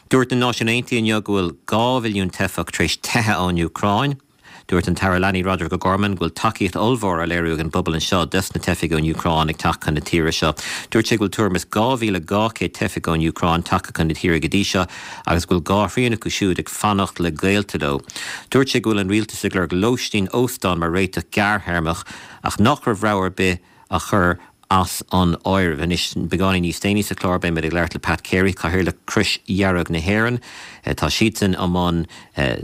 Dúirt na Náisiúin Aontaithe inniu go bhfuil 2 mhilliún teifeach tar éis teitheadh ón Úcráin. Dúirt an tAire Leanaí Roderic O'Gorman go bhfuil tacaíocht ollmhór á léiriú ag an bpobal anseo dos na teifigh ón Úcráin ag teacht chun na tíre seo. Dúirt sé go bhfuil tuairim is 2,200 teifeach ón Úcráin tagtha chun na tíre go dtí seo agus go bhfuil dhá thrian acu siúd ag fanacht le gaolta leo. Dúirt sé go bhfuil an rialtas ag lorg lóistín óstán mar réiteach gearrthéarmach ach nach raibh rogha ar bith a chur as an áireamh. Anois, beagáinín níos déanaí sa chlár, beidh muid ag labhairt le Pat Carey, Cathaoirleach Chrois Dhearg na hÉireann. Tá siadsan i mbun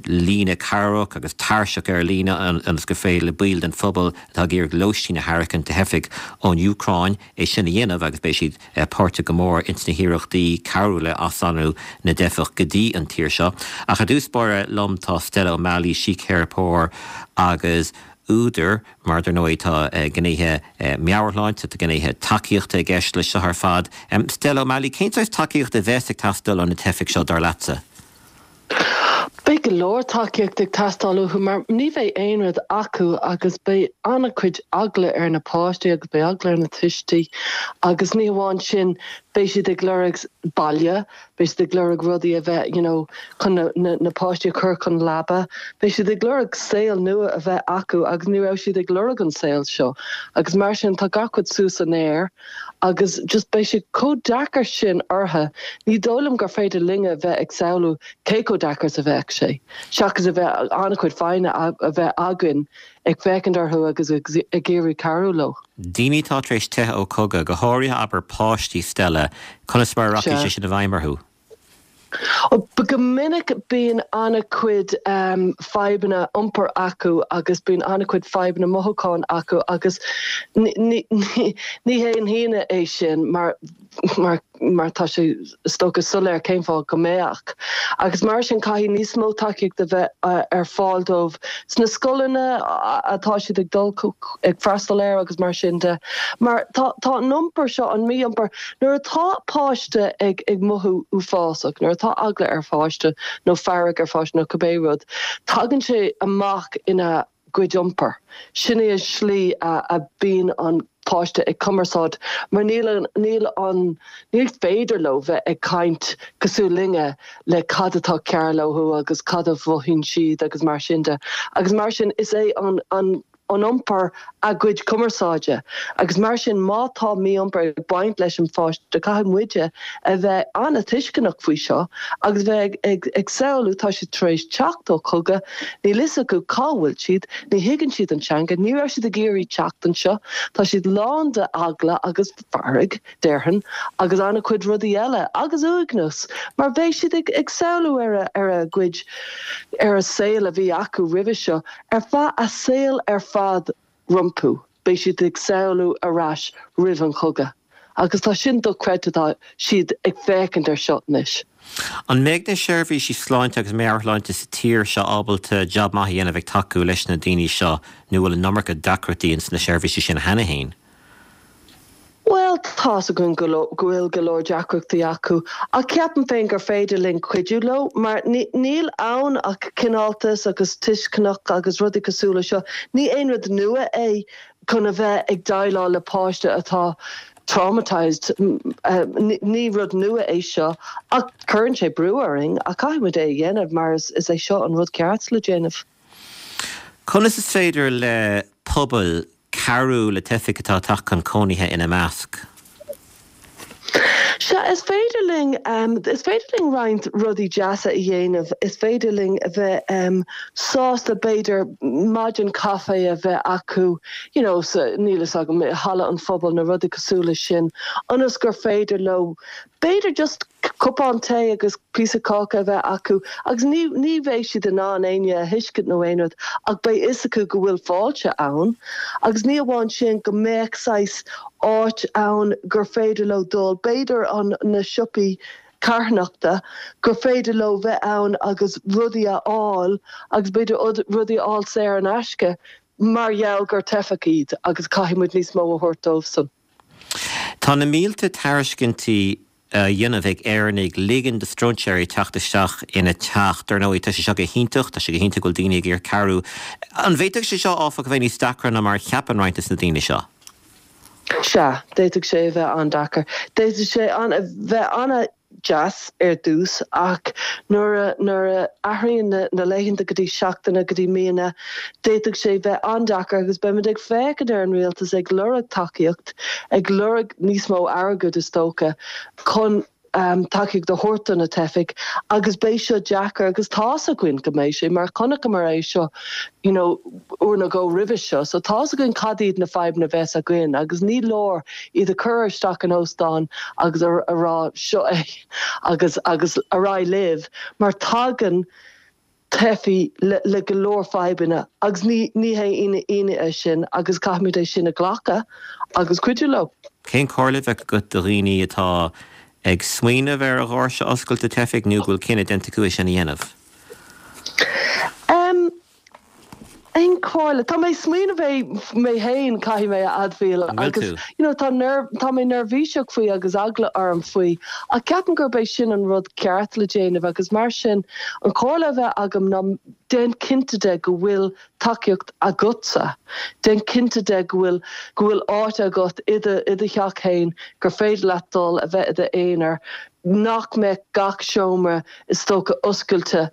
líne cabhrach agus tairseach ar líne ionas gur féidir le baill den phobal atá ag iarraidh lóistín a thairgint do theifigh ón Úcráin é sin a dhéanamh agus beidh siad páirteach go mór ins na hiarrachtaí cabhrú le aslonnú na dteifeach go dtí an tír seo. Ach ar dtús báire liom tá Stella O'Malley, síctheiripeoir agus údar. Mar dar ndóigh tá gnéithe meabhairshláinte, tá gnéithe tacaíochta i gceist leis seo ar fad. Stella O'Malley, cén saghas tacaíochta a bheas ag teastáil ó na teifigh seo, dar leatsa? Beidh go leor tacaíochta ag teastáil uathu mar ní bheidh aon rud acu agus beidh an-chuid eagla ar na páistí agus beidh eagla ar na tuistí agus ní hamháin sin beidh siad ag lorg baile, beidh siad ag lorg rudaí a bheith you know chun na, na, na páistí a chur chun leaba, beidh siad ag lorg saol nua a bheith acu agus ní raibh siad ag lorg an saol seo agus mar sin tá gach rud suas san aer agus just beidh sé chomh deacair sin orthu, ní dóigh liom gur féidir linne a bheith ag samhlú cé chomh deacair is a bheadh sé, seachas a bheith an-chuid foighne a bheith againn ag féachaint orthu agus ag iarraidh cabhrú leo. Daoine atá tar éis teitheadh ó chogadh, go háirithe abair páistí, Stella, conas mar a rachaidh sé sin i bhfeidhm orthu? Go minic bíonn an-chuid fadhbanna iompair acu agus bíonn an-chuid fadhbanna mothúcháin acu agus ní haon hionadh é sin mar mar mar tá sé is dócha soiléir cén fáth go mbeadh. Agus mar sin caithfidh níos mó tacaíocht a bheith ar fáil dóibh sna scoileanna atá siad ag dul ag freastal air agus mar sin de. Mar tá tá an iompar seo, an mí-iompar, nuair atá páiste ag ag mothú uafásach, nuair atá eagla ar pháiste nó fearg ar pháiste nó cibé rud, tagann sé amach ina gcuid iompair. Sin é an slí a bíonn an páiste ag cumarsáid mar níl an, níl an, ní féidir leo bheith ag caint cosúil linne le cad atá cearr leo agus cad a mhothaíonn siad agus mar sin de. Agus mar sin is é an, an, an iompar a gcuid cumarsáide. Agus mar sin má tá mí-iompar ag baint leis an pháiste caithfidh muide a bheith an-tuisceanach faoi seo agus bheith ag ag samhlú tá siad tar éis teacht ó chogadh, níl fhios acu cá bhfuil siad, ní thuigeann siad an teanga, ní raibh siad ag iarraidh teacht anseo, tá siad lán de eagla agus fearg, déarfainn, agus an-chuid rudaí eile, agus uaigneas, mar beidh siad ag ag samhlú ar a ar a gcuid ar a saol a bhí acu roimhe seo ar feadh a saol ar fad rompu. Beidh siad ag samhlú ar ais roimh an chogadh. Agus tá sin dochreidte, tá siad ag féachaint ar seo anois. An mbeidh na seirbhísí sláinte agus meabhairshláinte sa tír seo ábalta jab maith a dhéanamh ag tacú leis na daoine seo nó bhfuil an iomarca deacrachtaí ins na seirbhísí sin cheana féin? Bhuel, tá's againn go bhfuil go leor deacrachtaí acu, ach ceapaim féin gur féidir linn cuidiú leo, mar níl ann ach cineáltas agus tuisceanach agus rudaí cosúil le seo. Ní aon rud nua é chun a bheith ag déileáil le páiste atá traumatised. Ní rud nua é seo, ach cuireann sé brú orainn, ach caithfidh muid é a dhéanamh mar is é seo an rud ceart le déanamh. Conas is féidir le pobail cabhrú le teifigh atá ag teacht chun cónaithe ina measc. Sea, is féidir linn, is féidir linn roinnt rudaí deasa a dhéanamh. Is féidir linn a bheith sásta, b'fhéidir, maidin caife a bheith acu, you know, sa, níl fhios agam, i halla an phobail nó rudaí cosúil leis sin, ionas gur féidir leo, b'fhéidir just cupán tae agus píosa cáca a bheith acu agus ní ní bheidh siad in ann éinne a thuiscint nó aon rud ach beidh fhios acu go bhfuil fáilte ann agus ní amháin sin go mbeadh saghas áit ann gur féidir leo dul, b'fhéidir an na siopaí carthanachta gur féidir leo bheith ann agus rudaí a fháil agus b'fhéidir rudaí a fháil saor in aisce mar gheall gur teifeach iad agus caithfidh muid níos mó a thabhairt dóibhsan. Tá na mílte tairiscintí á dhéanamh ag Éireannaigh ligean do stróinséirí teacht isteach ina dteach. Dar ndóigh, tá sé seo go hiontach, tá sé go hiontach go bhfuil daoine ag iarraidh cabhrú. An bhféadfadh sé seo, áfach, a bheith níos deacra ná mar a cheapann roinnt de na daoine seo? Sea, d'fhéadfadh sé a bheith an-deacair. D'fhéadfadh sé a bheith an. deas ar dtús ach nuair a nuair a athraíonn na na laethanta go dtí seachtaine go dtí míonna d'fhéadfadh sé bheith an-deacair agus beimid ag féachaint ar an rialtas ag lorg tacaíocht, ag lorg níos mó airgid is dócha chun tacaíocht a thabhairt do na teifigh agus beidh seo deacair agus tá's againn go mbeidh sé mar chonaiceamar é seo you know uair nó dhó roimhe seo so tá's againn cad iad na fadhbanna a bheas againn agus ní leor iad a chur isteach in óstán agus a rá seo é agus agus ar aghaidh libh mar tagann teifigh le go leor fadhbanna agus ní ní hé ionadh é sin agus caithfimid é sin a ghlacadh agus cuidiú leo. Cén chomhairle a bheadh agat do dhaoine atá ag smaoineamh ar a dhoirse a oscailt do teifigh nó go bhfuil cinneadh déanta acu é sin a dhéanamh? Em. Aon chomhairle? Tá mé ag smaoineamh é mé féin, caithfidh mé a admháil, An bhfuil agus tú? you know tá nerv, tá mé neirbhíseach faoi agus eagla orm faoi ach ceapaim gurb é sin an rud ceart le déanamh agus mar sin an chomhairle a bheadh agam ná déan cinnte de go bhfuil tacaíocht agatsa, déan cinnte de go bhfuil, go bhfuil áit agat i do, i do theach féin gur féidir leat dul a bheith i d'aonar, nach mbeadh gach seomra is dócha oscailte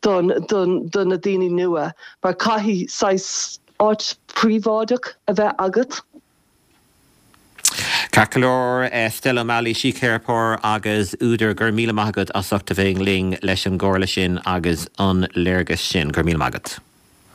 don, don, do na daoine nua mar caithfidh saghas áit phríobháideach a bheith agat. Ceart go leor, Stella O'Malley, síctheiripeoir agus údar, go raibh míle maith agat as ucht a bheith linn leis an gcomhairle sin agus an léargas sin. Go raibh míle maith agat.